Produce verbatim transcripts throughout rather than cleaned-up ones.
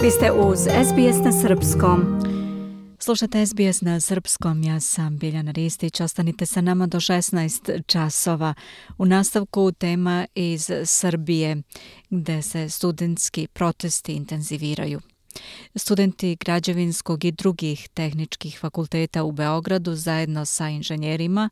Vi ste uz S B S na srpskom. Slušate S B S na srpskom, ja sam Biljana Ristić. Ostanite sa nama do šesnaest časova. U nastavku tema iz Srbije, gde se studentski protesti intenziviraju. Studenti građevinskog i drugih tehničkih fakulteta u Beogradu zajedno sa inženjerima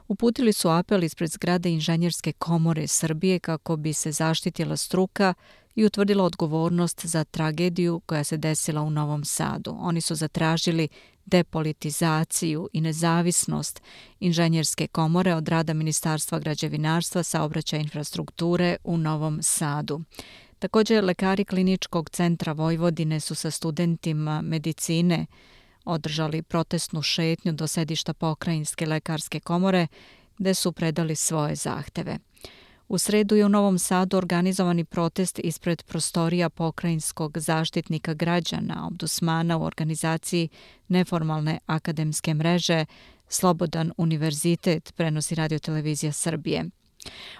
uputili su apel ispred zgrade Inženjerske komore Srbije kako bi se zaštitila struka i utvrdila odgovornost za tragediju koja se desila u Novom Sadu. Oni su zatražili depolitizaciju i nezavisnost Inženjerske komore od rada Ministarstva građevinarstva, saobraćaja i infrastrukture u Novom Sadu. Također, lekari Kliničkog centra Vojvodine su sa studentima medicine održali protestnu šetnju do sedišta Pokrajinske lekarske komore, gde su predali svoje zahteve. U sredu je u Novom Sadu organizovani protest ispred prostorija Pokrajinskog zaštitnika građana, ombudsmana u organizaciji neformalne akademske mreže Slobodan univerzitet, prenosi Radio-televizija Srbije.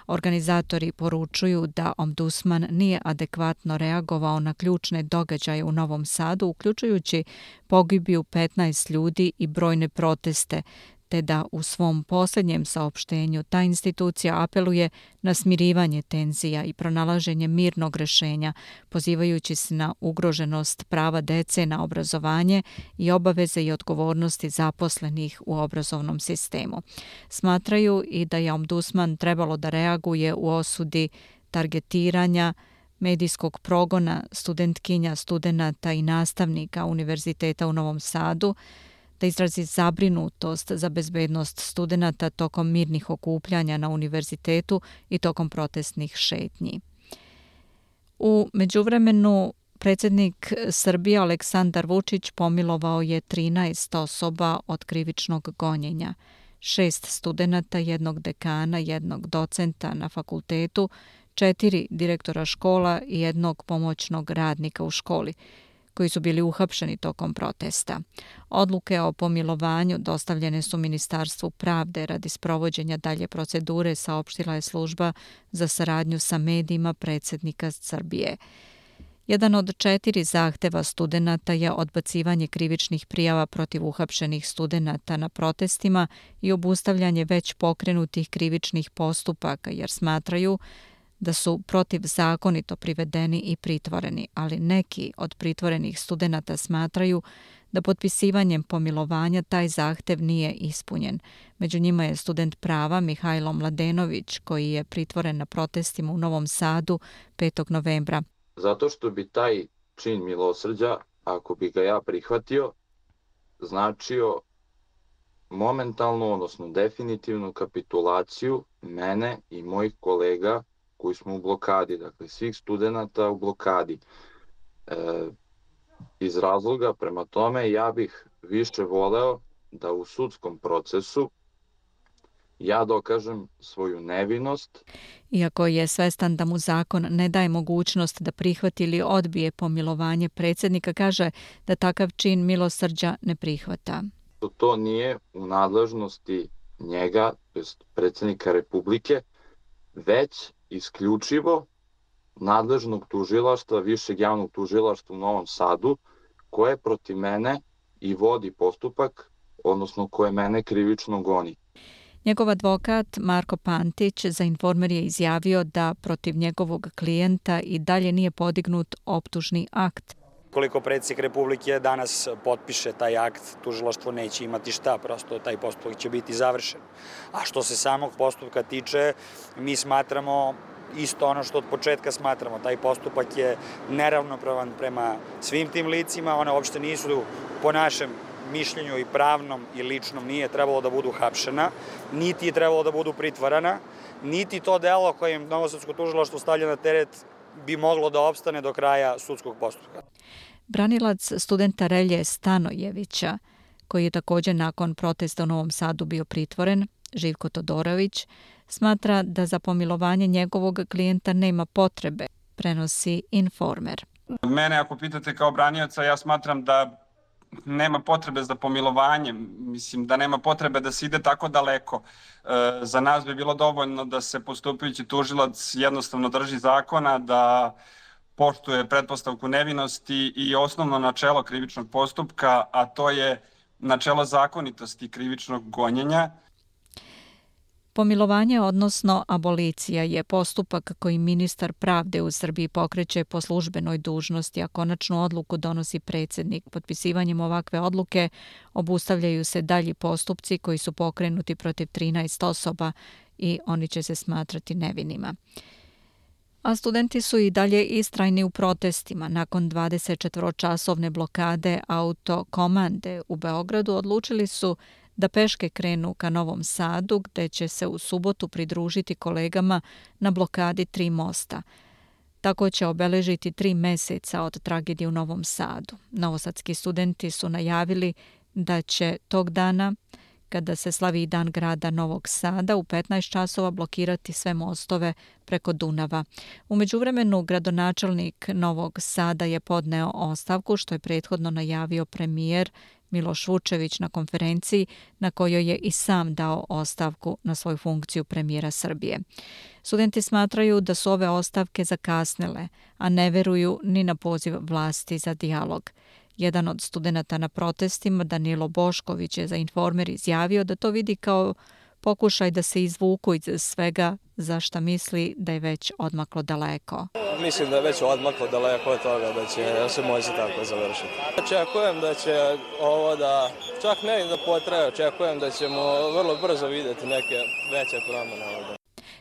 Organizatori poručuju da ombudsman nije adekvatno reagovao na ključne događaje u Novom Sadu, uključujući pogibiju petnaest ljudi i brojne proteste, te da u svom posljednjem saopštenju ta institucija apeluje na smirivanje tenzija i pronalaženje mirnog rješenja, pozivajući se na ugroženost prava dece na obrazovanje i obaveze i odgovornosti zaposlenih u obrazovnom sistemu. Smatraju i da je ombudsman trebalo da reaguje u osudi targetiranja, medijskog progona studentkinja, studenata i nastavnika Univerziteta u Novom Sadu, da izrazi zabrinutost za bezbednost studenata tokom mirnih okupljanja na univerzitetu i tokom protestnih šetnji. U međuvremenu, predsjednik Srbije Aleksandar Vučić pomilovao je trinaest osoba od krivičnog gonjenja, šest studenata, jednog dekana, jednog docenta na fakultetu, četiri direktora škola i jednog pomoćnog radnika u školi, koji su bili uhapšeni tokom protesta. Odluke o pomilovanju dostavljene su Ministarstvu pravde radi sprovođenja dalje procedure, saopštila je služba za saradnju sa medijima predsjednika Srbije. Jedan od četiri zahteva studenata je odbacivanje krivičnih prijava protiv uhapšenih studenata na protestima i obustavljanje već pokrenutih krivičnih postupaka, jer smatraju da su protivzakonito privedeni i pritvoreni, ali neki od pritvorenih studenata smatraju da potpisivanjem pomilovanja taj zahtev nije ispunjen. Među njima je student prava Mihajlo Mladenović, koji je pritvoren na protestima u Novom Sadu petog novembra. Zato što bi taj čin milosrđa, ako bi ga ja prihvatio, značio momentalnu, odnosno definitivnu kapitulaciju mene i mojih kolega koji smo u blokadi, dakle svih studenata u blokadi. E, iz razloga prema tome ja bih više voleo da u sudskom procesu ja dokažem svoju nevinost. Iako je svestan da mu zakon ne daje mogućnost da prihvati ili odbije pomilovanje predsjednika, kaže da takav čin milosrđa ne prihvata. To nije u nadležnosti njega, tj. predsjednika Republike, već isključivo nadležnog tužilaštva, višeg javnog tužilaštva u Novom Sadu, koje protiv mene i vodi postupak, odnosno koje mene krivično goni. Njegov advokat Marko Pantić za Informer je izjavio da protiv njegovog klijenta i dalje nije podignut optužni akt. Koliko predsjednik Republike danas potpiše taj akt, tužilaštvo neće imati šta, prosto taj postupak će biti završen. A što se samog postupka tiče, mi smatramo isto ono što od početka smatramo. Taj postupak je neravnopravan prema svim tim licima, one uopšte nisu po našem mišljenju i pravnom i ličnom nije trebalo da budu hapšena, niti je trebalo da budu pritvarana, niti to delo kojim novosadsko tužilaštvo stavlja na teret bi moglo da opstane do kraja sudskog postupka. Branilac studenta Relje Stanojevića, koji je također nakon protesta u Novom Sadu bio pritvoren, Živko Todorović, smatra da za pomilovanje njegovog klijenta nema potrebe, prenosi Informer. Mene ako pitate kao branioca, ja smatram da nema potrebe za pomilovanjem, mislim da nema potrebe da se ide tako daleko. E, za nas bi bilo dovoljno da se postupajući tužilac jednostavno drži zakona, da poštuje pretpostavku nevinosti i osnovno načelo krivičnog postupka, a to je načelo zakonitosti krivičnog gonjenja. Pomilovanje, odnosno abolicija, je postupak koji ministar pravde u Srbiji pokreće po službenoj dužnosti, a konačnu odluku donosi predsjednik. Potpisivanjem ovakve odluke obustavljaju se dalji postupci koji su pokrenuti protiv trinaest osoba i oni će se smatrati nevinima. A studenti su i dalje istrajni u protestima. Nakon dvadesetčetvoročasovne blokade autokomande u Beogradu odlučili su da peške krenu ka Novom Sadu, gde će se u subotu pridružiti kolegama na blokadi tri mosta. Tako će obeležiti tri meseca od tragedije u Novom Sadu. Novosadski studenti su najavili da će tog dana, kada se slavi Dan grada Novog Sada, u petnaest časova blokirati sve mostove preko Dunava. U međuvremenu, gradonačelnik Novog Sada je podneo ostavku, što je prethodno najavio premijer Miloš Vučević na konferenciji na kojoj je i sam dao ostavku na svoju funkciju premijera Srbije. Studenti smatraju da su ove ostavke zakasnile, a ne veruju ni na poziv vlasti za dijalog. Jedan od studenata na protestima, Danilo Bošković, je za Informer izjavio da to vidi kao pokušaj da se izvuku iz svega za šta misli da je već odmaklo daleko. Mislim da je već odmaklo daleko od toga da će se moći tako završiti. Očekujem da će ovo da, čak ne da potraje, očekujem da ćemo vrlo brzo vidjeti neke veće promjene ovdje.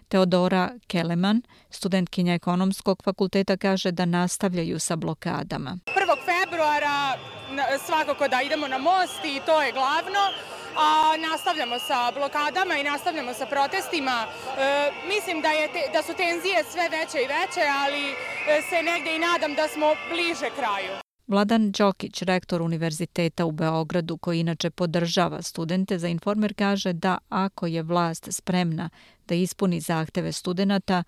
Teodora Keleman, studentkinja ekonomskog fakulteta, kaže da nastavljaju sa blokadama. prvog februara svakako da idemo na most i to je glavno. A nastavljamo sa blokadama i nastavljamo sa protestima. E, mislim da, je te, da su tenzije sve veće i veće, ali se negdje i nadam da smo bliže kraju. Vladan Đokić, rektor Univerziteta u Beogradu, koji inače podržava studente, za Informer kaže da ako je vlast spremna da ispuni zahteve studenata,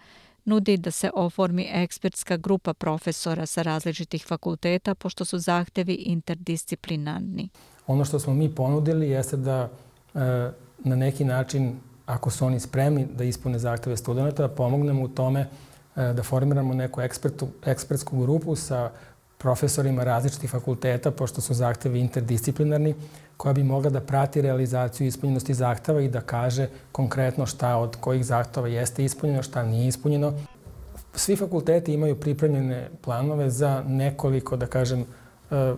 nudi da se oformi ekspertska grupa profesora sa različitih fakulteta, pošto su zahtevi interdisciplinarni. Ono što smo mi ponudili jeste da e, na neki način, ako su oni spremni da ispune zahteve studenta, da pomognemo u tome e, da formiramo neku ekspertu, ekspertsku grupu sa profesorima različitih fakulteta, pošto su zahtevi interdisciplinarni, koja bi mogla da prati realizaciju ispunjenosti zahteva i da kaže konkretno šta od kojih zahteva jeste ispunjeno, šta nije ispunjeno. Svi fakulteti imaju pripremljene planove za nekoliko, da kažem, e,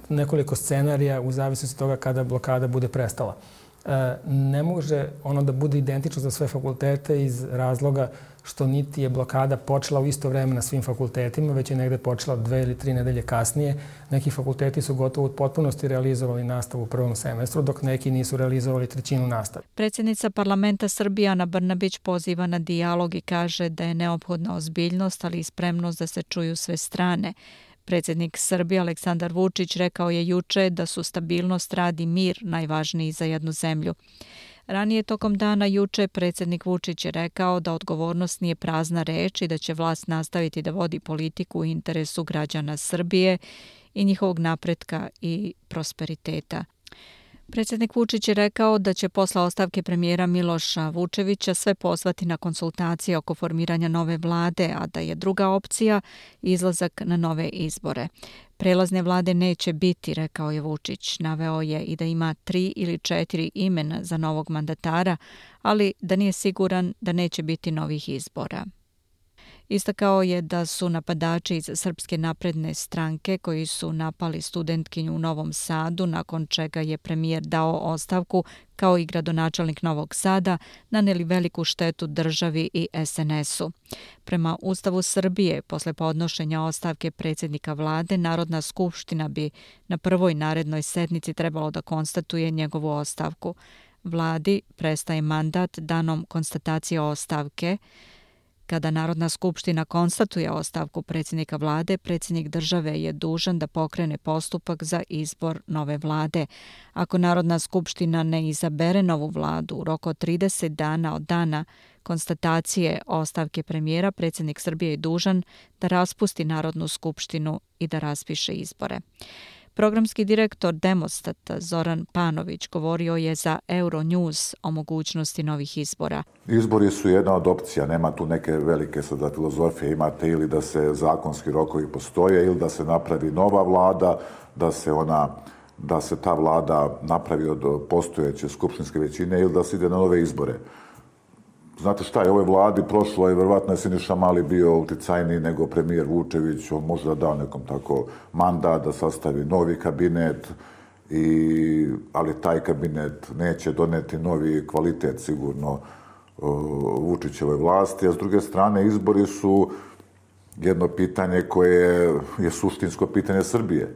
nekoliko scenarija u zavisnosti od toga kada blokada bude prestala. E, ne može ono da bude identično za sve fakultete iz razloga što niti je blokada počela u isto vreme na svim fakultetima, već je negde počela dve ili tri nedelje kasnije. Neki fakulteti su gotovo u potpunosti realizovali nastavu u prvom semestru, dok neki nisu realizovali trećinu nastave. Predsjednica parlamenta Srbije Ana Brnabić poziva na dijalog i kaže da je neophodna ozbiljnost, ali i spremnost da se čuju sve strane. Predsjednik Srbije Aleksandar Vučić rekao je juče da su stabilnost, rad i mir najvažniji za jednu zemlju. Ranije tokom dana juče predsjednik Vučić je rekao da odgovornost nije prazna reč i da će vlast nastaviti da vodi politiku u interesu građana Srbije i njihovog napretka i prosperiteta. Predsjednik Vučić je rekao da će posle ostavke premijera Miloša Vučevića sve pozvati na konsultacije oko formiranja nove vlade, a da je druga opcija izlazak na nove izbore. Prelazne vlade neće biti, rekao je Vučić. Naveo je i da ima tri ili četiri imena za novog mandatara, ali da nije siguran da neće biti novih izbora. Istakao je da su napadači iz Srpske napredne stranke koji su napali studentkinju u Novom Sadu, nakon čega je premijer dao ostavku, kao i gradonačelnik Novog Sada, naneli veliku štetu državi i es en esu. Prema Ustavu Srbije, posle podnošenja ostavke predsjednika vlade, Narodna skupština bi na prvoj narednoj sednici trebalo da konstatuje njegovu ostavku. Vladi prestaje mandat danom konstatacije ostavke. Kada Narodna skupština konstatuje ostavku predsjednika vlade, predsjednik države je dužan da pokrene postupak za izbor nove vlade. Ako Narodna skupština ne izabere novu vladu u roku od trideset dana od dana konstatacije ostavke premijera, predsjednik Srbije je dužan da raspusti Narodnu skupštinu i da raspiše izbore. Programski direktor Demostata Zoran Panović govorio je za Euronews o mogućnosti novih izbora. Izbori su jedna od opcija, nema tu neke velike sada filozofije, imate ili da se zakonski rokovi postoje ili da se napravi nova vlada, da se ona da se ta vlada napravi od postojeće skupštinske većine ili da se ide na nove izbore. Znate šta je, ovoj vladi prošlo je, verovatno je Siniša Mali bio uticajniji nego premijer Vučević, on možda dao nekom tako mandat da sastavi novi kabinet, i, ali taj kabinet neće doneti novi kvalitet sigurno Vučićevoj vlasti, a s druge strane izbori su jedno pitanje koje je suštinsko pitanje Srbije.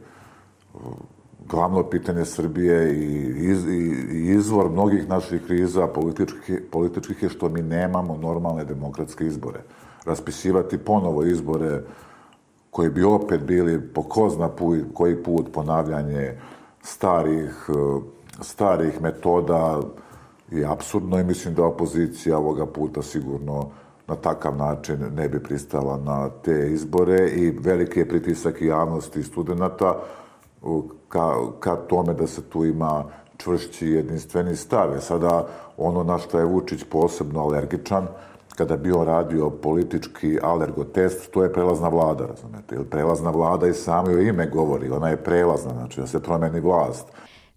Glavno pitanje Srbije i, iz, i izvor mnogih naših kriza političkih, političkih je što mi nemamo normalne demokratske izbore. Raspisivati ponovo izbore koji bi opet bili po ko zna put, koji put ponavljanje starih, starih metoda je apsurdno i mislim da opozicija ovoga puta sigurno na takav način ne bi pristala na te izbore i veliki je pritisak i javnosti i studenta ka, ka tome da se tu ima čvršći jedinstveni stave. Sada ono na što je Vučić posebno alergičan, kada bi on radio politički alergotest, to je prelazna vlada, razumete? Jer prelazna vlada i samo joj ime govori, ona je prelazna, znači da se promeni vlast.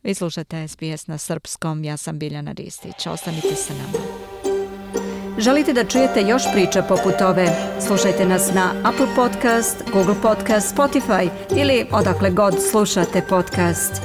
Vi slušate S B S na srpskom, ja sam Biljana Ristić, ostanite sa nama. Želite da čujete još priča poput ove? Slušajte nas na Apple Podcast, Google Podcast, Spotify ili odakle god slušate podcast.